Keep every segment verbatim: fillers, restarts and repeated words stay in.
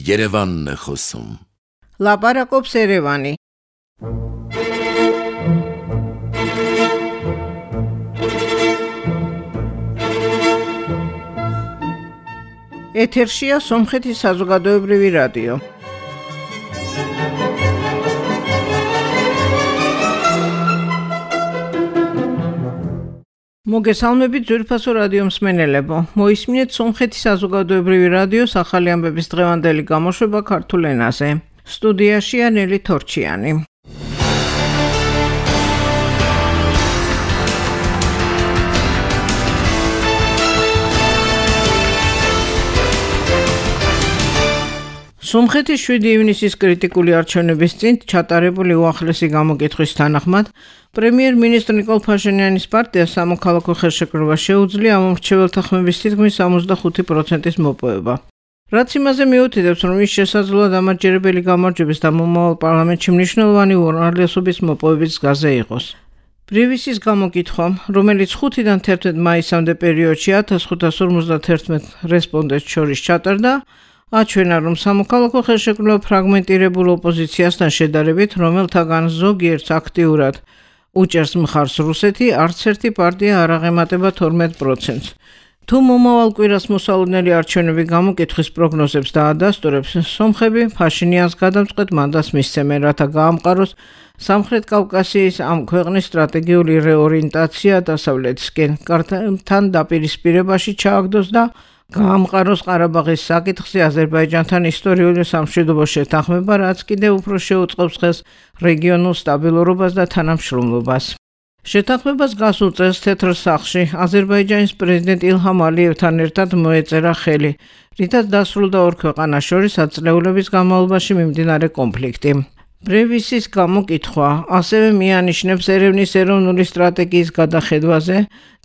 Yerevan Khosum. Labarakobs Erevani. ეთერშია სომხეთის საზოგადოებრივი რადიო. მოგესალმებით ძვირფასო რადიო მსმენელებო. მოისმინეთ სომხეთის საზოგადოებრივი რადიოს ახალი ამბების დღევანდელი გამოშვება ქართულ ენაზე. სტუდიაშია ნელი თორჩიანი. სომხეთის შვიდი ივნისის კრიტიკული არჩევნების წინ ჩატარებული უახლესი გამოკითხვის თანახმად პრემიერ-მინისტრ ნიკოლ ფაშინიანის პარტია სამოქალაქო ხელშეკრულება შეუძლია ამ მრჩეველთა ხმების თითქმის ორმოცდახუთი პროცენტის მოპოვება. რაც იმაზე მიუთითებს, რომ ის შესაძლოა დამაჯერებელი გამარჯვების და მომავალ პარლამენტში მნიშვნელოვანი უმრავლესობის მოპოვების გზაზე იყოს. პრივისის გამოკითხვა, რომელიც ხუთიდან თერთმეტ მაისამდე პერიოდში ათას ხუთას ორმოცდაათერთმეტ რესპონდენტს შორის ჩატარდა, აჩვენა, რომ სამოქალაქო ხელშეკრულება ფრაგმენტირებულ ოპოზიციასთან შედარებით, რომელთაგან ზოგიერთს აქტიურად უჭერს მხარს რუსეთი, არც ერთი პარტია არ აღემატება თორმეტ პროცენტს. თუ მომავალ კვირას მოსალოდნელი არჩევნები გამოკითხვის პროგნოზებს დაადასტურებს, სომხები ფაშინიანს გადამწყვეტ მანდატს მისცემენ, რათა გაამყაროს სამხრეთ კავკასიის ამ ქვეყნის სტრატეგიული რეორიენტაცია დასავლეთისკენ, კართან დაპირისპირებაში ჩააგდოს და გაამყაროს ყარაბაღის საკითხზე აზერბაიჯანთან ისტორიული სამშვიდობო შეთანხმება, რაც კიდევ უფრო შეუწყობს ხელს რეგიონულ სტაბილურობას და თანამშრომლობას. შეთანხმებას გასულ წელს თეთრ სახლში აზერბაიჯანის პრეზიდენტ ილჰამ ალიევთან ერთად მოეწერა ხელი, რითაც დასრულდა ორ ქვეყანას შორის ათწლეულების განმავლობაში მიმდინარე კონფლიქტი. პრევისის გამოკითხვა ასევე მიანიშნებს ერევნის ეროვნული სტრატეგიის გადახედვაზე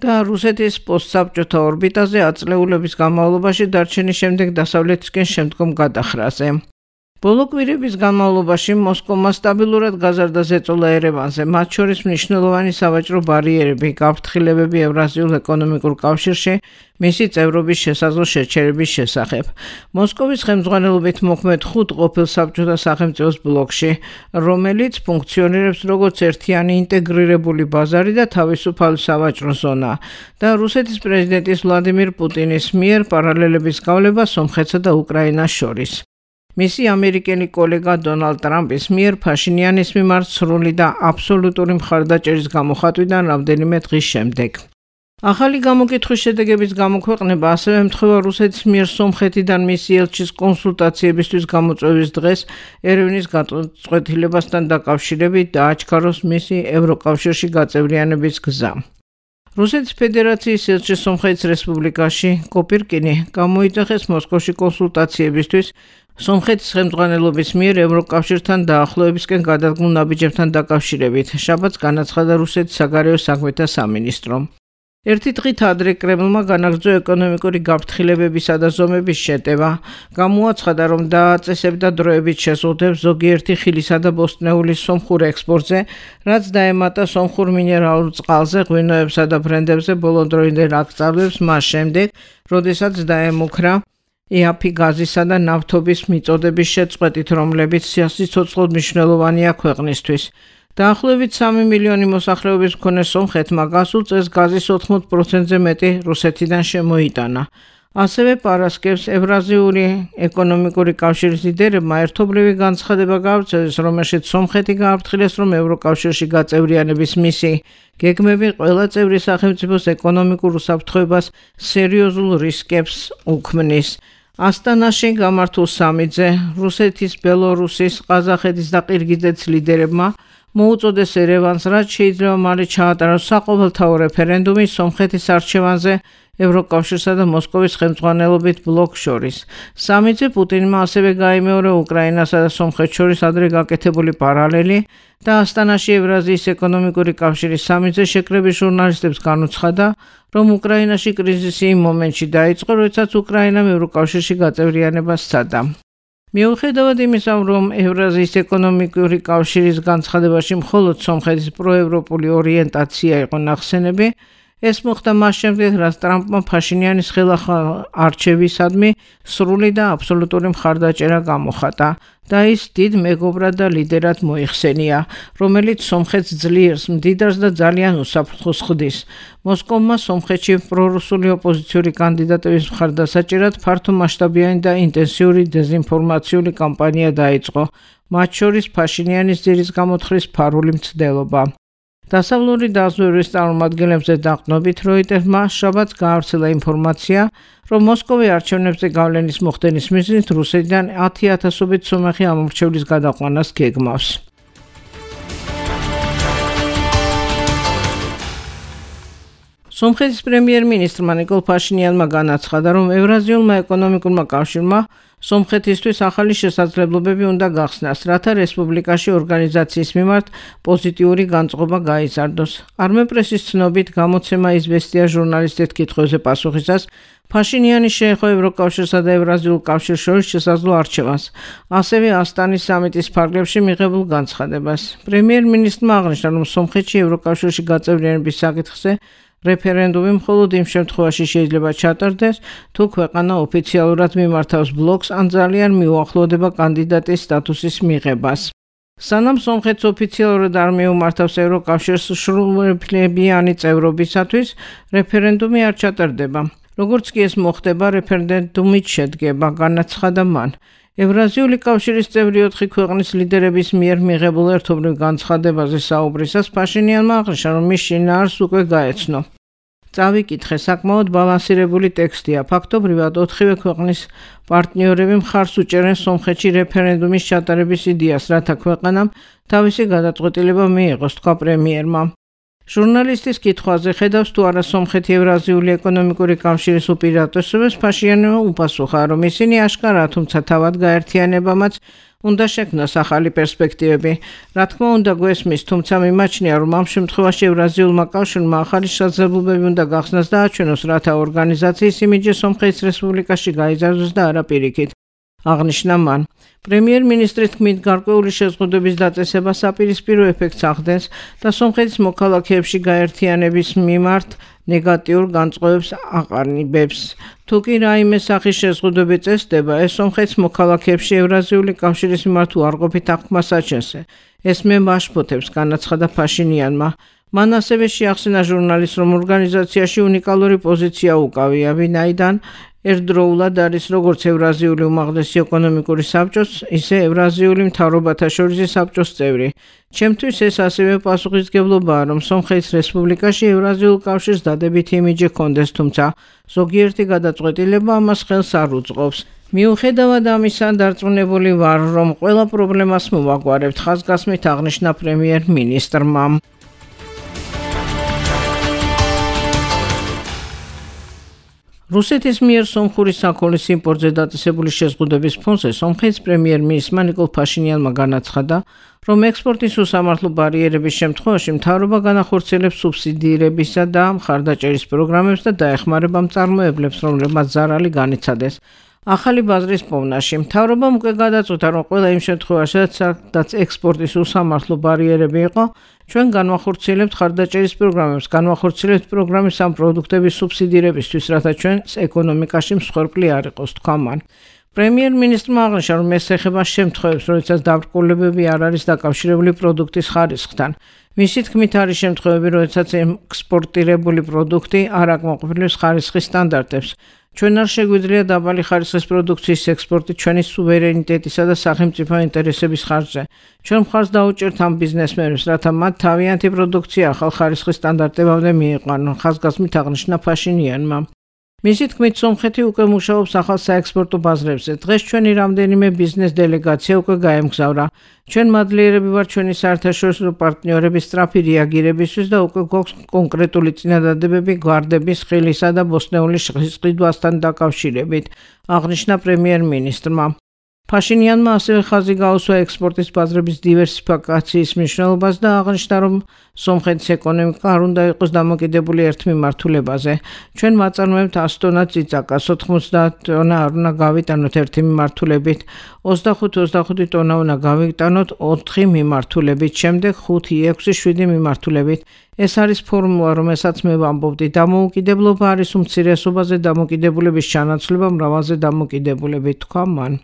და რუსეთის პოსტსაბჭოთა ორბიტაზე ათწლეულების განმავლობაში დარჩენის შემდეგ დასავლეთისკენ შემდგომ გადახრაზე. ბოლო კვირების განმავლობაში მოსკოვმა სტაბილურად გაზარდა ზეწოლა ერევანზე, მათ შორის მნიშვნელოვანი სავაჭრო ბარიერები, გაფრთხილებები ევრაზიულ ეკონომიკურ კავშირში, მისი წევრობის შესაძლო შეჩერების შესახებ. მოსკოვის ხელმძღვანელობით მოქმედ ხუთ ყოფილ საბჭოთა სახელმწიფოს ბლოკში, რომელიც ფუნქციონირებს როგორც ერთიანი ინტეგრირებული ბაზარი და თავისუფალი სავაჭრო ზონა და რუსეთის პრეზიდენტის ვლადიმირ პუტინის მიერ პარალელების გავლება სომხეთსა და უკრაინას შორის. მისი ამერიკელი კოლეგა დონალდ ტრამპის მიერ ფაშინიანის მიმართ სრული და აბსოლუტური მხარდაჭერის გამოხატვიდან რამდენიმე დღის შემდეგ. ახალი გამოკითხვის შედეგების გამოქვეყნება ასევე ემთხვევა რუსეთის მიერ სომხეთიდან მისი ელჩის კონსულტაციებისთვის გამოწვევის დღეს ერევნის გაწყვეტილებასთან დაკავშირებით დააჩქაროს მისი ევროკავშირში გაწევრიანების გზა. რუსეთის ფედერაციის ელჩი სომხეთის რესპუბლიკაში კოპირკინი გამოიძახეს მოსკოვში კონსულტაციებისთვის სომხეთის ხელმძღვანელობის მიერ ევროკავშირთან დაახლოებისკენ გადადგმულ ნაბიჯებთან დაკავშირებით. შაბათს განაცხადა რუსეთის საგარეო საქმეთა სამინისტრომ. ერთი დღით ადრე კრემლმა განაგრძო ეკონომიკური გაფრთხილებებისა და ზომების შეტევა. გამოაცხადა, რომ დააწესებდა დროებით შეზღუდვებს ზოგიერთი ხილისა და ბოსტნეულის სომხურ ექსპორტზე, რაც დაემატა სომხურ მინერალურ წყალზე, ღვინოებსა და ბრენდებზე ბოლოდროინდელ აკრძალვებს მას შემდეგ, როდესაც დაემუქრა ეაფი გაზისა და ნავთობის მიწოდების შეწყვეტით, რომლებიც სიცოცხლოდ მნიშვნელოვანია ქვეყნისთვის. დაახლოებით სამი მილიონი მოსახლეობის მქონე სომხეთმა გასულ წელს გაზის ოთხმოც პროცენტზე მეტი რუსეთიდან შემოიტანა. ასევე პარასკევს ევრაზიული ეკონომიკური კავშირის ლიდერებმა ერთობლივი განცხადება გავრცელეს, რომელშიც სომხეთი გააფრთხილეს, რომ ევროკავშირში გაწევრიანების მისი გეგმები ყველა წევრი სახელმწიფოს ეკონომიკურ უსაფრთხოებას სერიოზულ რისკებს უქმნის. ასტანაში გამართულ სამიტზე რუსეთის, ბელორუსის, ყაზახეთის და ყირგიზეთის ლიდერებმა მოუწოდეს ერევანს, რაც შეიძლება მალე ჩაატაროს საყოველთაო რეფერენდუმი სომხეთის არჩევანზე ევროკავშირსა და მოსკოვის ხელმძღვანელობით ბლოკს შორის. სამიტზე პუტინმა ასევე გაიმეორა უკრაინასა და სომხეთს შორის ადრე გაკეთებული პარალელი და ასტანაში ევრაზიის ეკონომიკური კავშირის სამიტზე შეკრების ჟურნალისტებს განუცხადა, რომ უკრაინაში კრიზისი იმ მომენტში დაიწყო, როდესაც უკრაინამ ევროკავშირში გაწევრიანებას სცადა. მიუხედავად იმისა, რომ ევრაზიის ეკონომიკური კავშირის განცხადებაში მხოლოდ სომხეთის პროევროპული ორიენტაცია იყო ნახსენები, ეს მოხდა მას შემდეგ, რაც ტრამპმა ფაშინიანის ხელახალ არჩევისადმი სრული და აბსოლუტური მხარდაჭერა გამოხატა და ის დიდ მეგობრად და ლიდერად მოიხსენია, რომელიც სომხეთს ძლიერს, მდიდარს და ძალიან უსაფრთხოს ხდის. მოსკოვმა სომხეთში პრორუსული ოპოზიციური კანდიდატების მხარდასაჭერად ფართო მასშტაბიანი და ინტენსიური დეზინფორმაციული კამპანია დაიწყო, მათ შორის ფაშინიანის ძირის გამოთხრის ფარული მცდელობა. დასავლური დაზვერვის წარმომადგენლებზე დაყრდნობით როიტერმა შაბათს გაავრცელა ინფორმაცია, რომ მოსკოვი არჩევნებზე გავლენის მოხდენის მიზნით რუსეთიდან ათი ათასობით სომეხი ამორჩევლის გადაყვანას გეგმავს. სომხეთის პრემიერ-მინისტრმა ნიკოლ ფაშინიანმა განაცხადა, რომ ევრაზიულმა ეკონომიკურმა კავშირმა სომხეთისთვის ახალი შესაძლებლობები უნდა გახსნას, რათა რესპუბლიკაში ორგანიზაციის მიმართ პოზიტიური განწყობა გაიზარდოს. არმენპრესის ცნობით გამოცემა „იზვესტია“ ჟურნალისტის კითხვებზე პასუხისას ფაშინიანი შეეხო ევროკავშირსა და ევრაზიულ კავშირს შორის შესაძლო არჩევანს, ასევე ასტანის სამიტის ფარგლებში მიღებულ განცხადებას. პრემიერ-მინისტრმა აღნიშნა, რომ სომხეთში ევროკავშირში გაწევრიანების საკითხზე რეფერენდუმი მხოლოდ იმ შემთხვევაში შეიძლება ჩატარდეს, თუ ქვეყანა ოფიციალურად მიმართავს ბლოკს ან ძალიან მიუახლოვდება კანდიდატის სტატუსის მიღებას. სანამ სომხეთს ოფიციალურად არ მიუმართავს ევროკავშირს სრულუფლებიანი წევრობისათვის, რეფერენდუმი არ ჩატარდება. როგორც კი ეს მოხდება, რეფერენდუმით შედგება, განაცხადა მან. ევრაზიული კავშირის წევრი ოთხი ქვეყნის ლიდერების მიერ მიღებულ ერთობლივ განცხადებაზე საუბრისას ფაშინიანმა აღნიშნა, რომ მის შინაარსს უკვე გაეცნო. წავიკითხე, საკმაოდ ბალანსირებული ტექსტია. ფაქტობრივად ოთხივე ქვეყნის პარტნიორები მხარს უჭერენ სომხეთში რეფერენდუმის ჩატარების იდეას, რათა ქვეყანამ თავისი გადაწყვეტილება მიიღოს, თქვა პრემიერმა. ჟურნალისტის კითხვაზე, ხედავს თუ არა სომხეთი ევრაზიული ეკონომიკური კავშირის უპირატესობას, ფაშინიანმა უპასუხა, რომ ისინი აშკარაა, თუმცა თავად გაერთიანებამაც უნდა შექმნას ახალი პერსპექტივები. რა თქმა უნდა გვესმის, თუმცა მიმაჩნია, რომ ამ შემთხვევაში ევრაზიულმა კავშირმა ახალი შესაძლებლობები უნდა გახსნას და აჩვენოს, რათა ორგანიზაციის იმიჯი სომხეთის რესპუბლიკაში გაიზარდოს და არა პირიქით. აღნიშნა მან. პრემიერ-მინისტრის თქმით, გარკვეული შეზღუდვების დაწესება საპირისპირო ეფექტს ახდენს და სომხეთის მოქალაქეებში გაერთიანების მიმართ ნეგატიურ განწყობებს აყალიბებს. თუ კი რაიმე სახის შეზღუდვები წესდება, ეს სომხეთის მოქალაქეებში ევრაზიული კავშირის მიმართ უარყოფით აღქმას აჩენს. ეს მე მაშფოთებს, განაცხადა ფაშინიანმა. მან ასევე შეახსენა ჟურნალისტს, რომ ორგანიზაციაში უნიკალური პოზიცია უკავია, ვინაიდან ერთდროულად არის როგორც ევრაზიული უმაღლესი ეკონომიკური საბჭოს, ისე ევრაზიული მთავრობათა შორისი საბჭოს წევრი. ჩემთვის ეს ასევე პასუხისმგებლობაა, რომ სომხეთის რესპუბლიკაში ევრაზიულ კავშირს დადებითი იმიჯი ჰქონდეს, თუმცა ზოგიერთი გადაწყვეტილება ამას ხელს არ უწყობს. მიუხედავად ამისა, დარწმუნებული ვარ, რომ ყველა პრობლემას მოვაგვარებთ, ხაზგასმით აღნიშნა პრემიერ-მინისტრმა. რუსეთის მიერ სომხური საქონლის იმპორტზე დაწესებული შეზღუდვების ფონზე სომხეთის პრემიერ-მინისტრმა ნიკოლ ფაშინიანმა განაცხადა, რომ ექსპორტის უსამართლო ბარიერების შემთხვევაში მთავრობა განახორციელებს სუბსიდირებისა და მხარდაჭერის პროგრამებს და დაეხმარება მწარმოებლებს, რომლებმაც ზარალი განიცადეს. ახალი ბაზრის პოვნაში მთავრობამ უკვე გადაწყვიტა, რომ ყველა იმ შემთხვევაში, სადაც ექსპორტის უსამართლო ბარიერები იყო, ჩვენ განვახორციელებთ მხარდაჭერის პროგრამებს, განვახორციელებთ პროგრამის ამ პროდუქტების სუბსიდირებისთვის, რათა ჩვენს ეკონომიკაში მსხვერპლი არ იყოს, თქვა მან. პრემიერ-მინისტრმა აღნიშნა, რომ ეს ეხება შემთხვევებს, როდესაც დაბრკოლებები არ არის დაკავშირებული პროდუქტის ხარისხთან. მისი თქმით, არის შემთხვევები, როდესაც ექსპორტირებული პროდუქტი არ აკმაყოფილებს ხარისხის სტანდარტებს. ჩვენ არ შეგვიძლია დაბალი ხარისხის პროდუქციის ექსპორტი ჩვენი სუვერენიტეტისა და სახელმწიფო ინტერესების ხარჯზე. ჩვენ მხარს დაუჭერთ ამ ბიზნესმენებს, რათა მათ თავიანთი პროდუქცია ახალ ხარისხის სტანდარტებამდე მიიყვანონ, ხაზგასმით აღნიშნა ფაშინიანმა. მისი თქმით, სომხეთი უკვე მუშაობს ახალ საექსპორტო ბაზრებზე. დღეს ჩვენი რამდენიმე ბიზნეს დელეგაცია უკვე გაემგზავრა. ჩვენ მადლიერები ვართ ჩვენი საერთაშორისო პარტნიორების სწრაფი რეაგირებისთვის და უკვე გვაქვს კონკრეტული წინადადებები გვარდების, ხილისა და ბოსტნეული შეყიდვასთან დაკავშირებით, აღნიშნა პრემიერ-მინისტრმა. Փաշინიანმა ასევე ხაზი გაუსვა ექსპორტის ბაზრების დივერსიფიკაციის მნიშვნელობას და აღნიშნა, რომ სომხეთის ეკონომიკა არ უნდა იყოს დამოკიდებული ერთ მიმართულებაზე. ჩვენ ვაწარმოებთ ას ტონა წიწაკას, ოთხმოცდაათ ტონა არ უნდა გავიტანოთ ერთი მიმართულებით, ოცდახუთ ოცდახუთი ტონა უნდა გავიტანოთ ოთხი მიმართულებით, შემდეგ ხუთი, ექვსი, შვიდი მიმართულებით. ეს არის ფორმულა, რომელსაც მე ვამბობდი. დამოუკიდებლობა არის უმცირესობაზე დამოკიდებულების ჩანაცვლება მრავალზე დამოკიდებულებით, თქვა მან.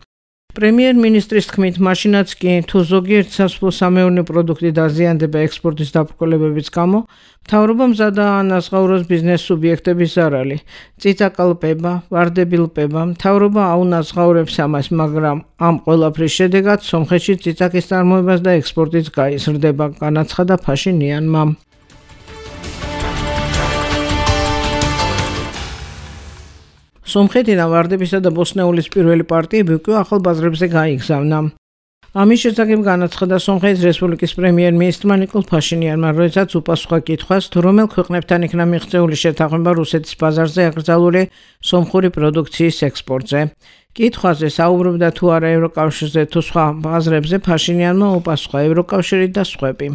პრემიერ-მინისტრის თქმით, მაშინაც კი თუ ზოგიერთ სასოფლო-სამეურნეო პროდუქტი დაზიანდება ექსპორტის დაბრკოლებების გამო, მთავრობა მზადაა ანაზღაუროს ბიზნეს სუბიექტების ზარალი. წიწაკა ლპება, ვარდები ლპება, მთავრობა აუნაზღაურებს ამას, მაგრამ ამ ყველაფრის შედეგად სომხეთში წიწაკის წარმოებას და ექსპორტიც გაიზრდება, განაცხადა ფაშინიანმა. სომხეთიდან ვარდებისა და ბოსნეულის პირველი პარტიები უკვე ახალ ბაზრებზე გაიგზავნა. ამის შესახებ განაცხადა სომხეთის რესპუბლიკის პრემიერ-მინისტრმა ნიკოლ ფაშინიანმა, როდესაც უპასუხა კითხვას, თუ რომელ ქვეყნებთან იქნა მიღწეული შეთანხმება რუსეთის ბაზარზე აკრძალული სომხური პროდუქციის ექსპორტზე. კითხვაზე საუბრობდა თუ არა ევროკავშირზე თუ სხვა ბაზრებზე, ფაშინიანმა უპასუხა ევროკავშირი და სხვები.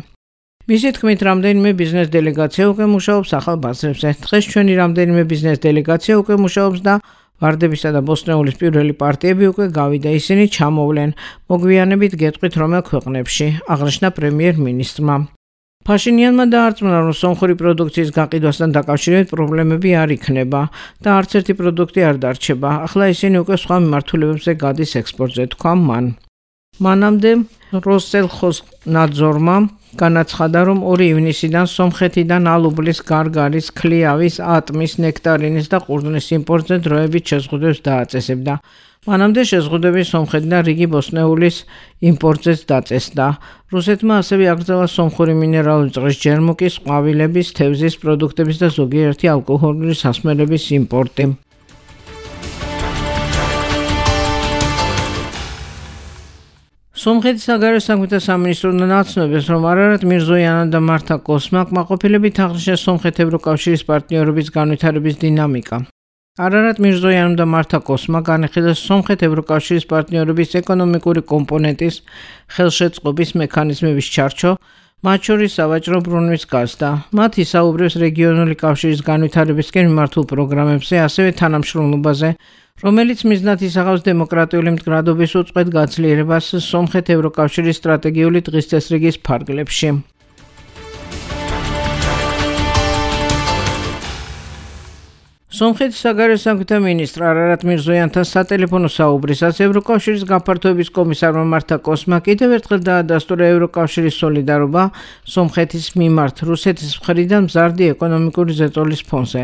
მისი თქმით, რამდენიმე ბიზნეს დელეგაცია უკვე მუშაობს ახალ ბაზრებზე. დღეს ჩვენი რამდენიმე ბიზნეს დელეგაცია უკვე მუშაობს და ვარდებისა და ბოსნეულის პირველი პარტიები უკვე გავიდა, ისინი ჩამოვლენ. მოგვიანებით გეტყვით რომელ ქვეყნებში, აღნიშნა პრემიერ-მინისტრმა. ფაშინიანმა დაარწმუნა, რომ სომხური პროდუქციის გაყიდვასთან დაკავშირებით პრობლემები არ იქნება და არც ერთი პროდუქტი არ დარჩება. ახლა ისინი უკვე სხვა მიმართულებებზე გადის ექსპორტზე, თქვა მან. მანამდე როსელხოსნაძორმა განაცხადა, რომ ორი ივნისიდან სომხეთიდან ალუბლის, გარგარის, ქლიავის, ატმის, ნექტარინის და ყურძნის იმპორტზე დროებით შეზღუდვებს დააწესებდა. მანამდე შეზღუდვები სომხეთიდან რიგი ბოსნეულის იმპორტზეც დაწესდა. რუსეთმა ასევე აკრძალა სომხური მინერალური წყლის ჯერმუკის, ყვავილების, თევზის პროდუქტების და ზოგიერთი ალკოჰოლური სასმელების იმპორტი. სომხეთის საგარეო საქმეთა სამინისტრო ნაცნობებს, რომ არარატ მირზოიანა და მართა კოსმა კმაყოფილებით აღნიშნეს სომხეთ ევროკავშირის პარტნიორობის განვითარების დინამიკა. არარატ მირზოიანამ და მართა კოსმა განიხილეს სომხეთ ევროკავშირის პარტნიორობის ეკონომიკური კომპონენტის ხელშეწყობის მექანიზმების ჩარჩო, მათ შორის სავაჭრო ბრუნვის გაზრდა. მათ ისაუბრებს რეგიონული კავშირის განვითარებისკენ მიმართულ პროგრამებზე, ასევე თანამშრომლობაზე, რომელიც მიზნად ისახავს დემოკრატიული მდგრადობის უწყვეტ გაძლიერებას სომხეთ ევროკავშირის სტრატეგიული დღის წესრიგის ფარგლებში. სომხეთის საგარეო საქმეთა მინისტრ არარატ მირზოიანთან სატელეფონო საუბრისას ევროკავშირის გაფართოების კომისარმა მართა კოსმა კიდევ ერთხელ დაადასტურა ევროკავშირის სოლიდარობა სომხეთის მიმართ რუსეთის მხრიდან მზარდი ეკონომიკური ზეწოლის ფონზე.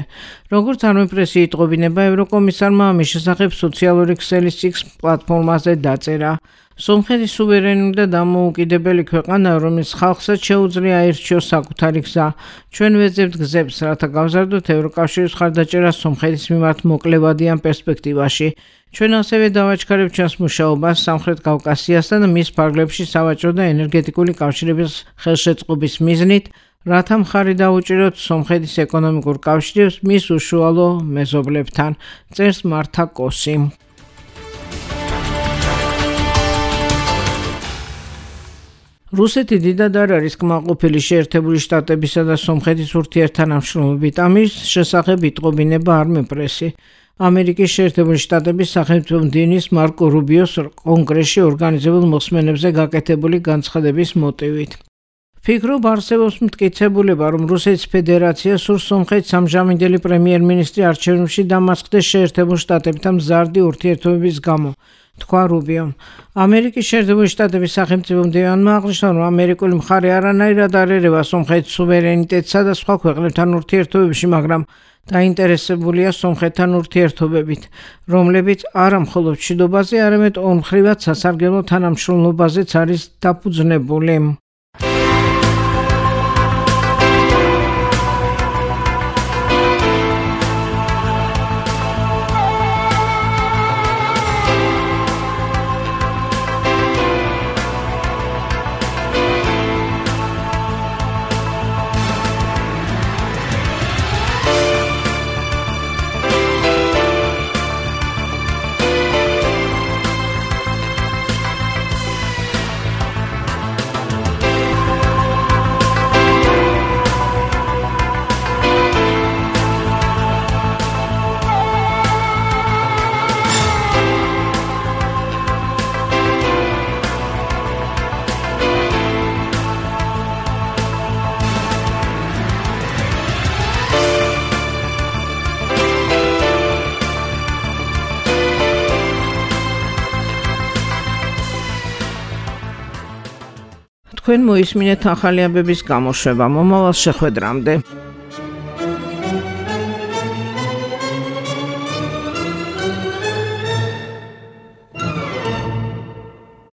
როგორც არმეპრესი იტყობინება, ევროკომისარმა ამის შესახებ სოციალური ქსელის X პლატფორმაზე დაწერა. სომხეთის სუვერენული და დამოუკიდებელი ქვეყანა, რომელიც ხალხსაც შეუძლია აირჩიოს საკუთარი გზა. ჩვენ ვეძებთ გზებს, რათა გავზარდოთ ევროკავშირის მხარდაჭერა სომხეთის მიმართ მოკლევადიან პერსპექტივაში. ჩვენ ასევე დავაჩქარებთ ჩვენს მუშაობას სამხრეთ კავკასიასთან და მის ფარგლებში სავაჭრო და ენერგეტიკული კავშირების ხელშეწყობის მიზნით, რათა მხარი დაუჭიროთ სომხეთის ეკონომიკურ კავშირებს მის უშუალო მეზობლებთან, წერს მართა კოსი. რუსეთი დიდად არ არის კმაყოფილი შეერთებული შტატებისა და სომხეთის ურთიერთთანამშრომლობით. ამის შესახებ იტყობინება არმეპრესი. ამერიკის შეერთებული შტატების სახელმწიფო მდივნის მარკო რუბიოს კონგრესში ორგანიზებულ მოსმენებზე გაკეთებული განცხადების მოტივით. ფიქრობ არსებობს მტკიცებულება, რომ რუსეთის ფედერაცია სურს სომხეთის ამჟამინდელი პრემიერ-მინისტრი არჩევნებში დამარცხდეს შეერთებულ შტატებთან მზარდი ურთიერთობების გამო. თქვა რუბიომ. ამერიკის შეერთებული შტატების სახელმწიფო მდივანმა აღნიშნა, რომ ამერიკული მხარე არანაირად არ ერევა სომხეთის სუვერენიტეტსა და სხვა ქვეყნებთან ურთიერთობებში, მაგრამ დაინტერესებულია სომხეთთან ურთიერთობებით, რომლებიც არა მხოლოდ მშვიდობაზე, არამედ ორმხრივად სასარგებლო თანამშრომლობაზეც არის დაფუძნებული. თქვენ მოისმინეთ ახალი ამბების გამოშვება მომავალ შეხვედრამდე.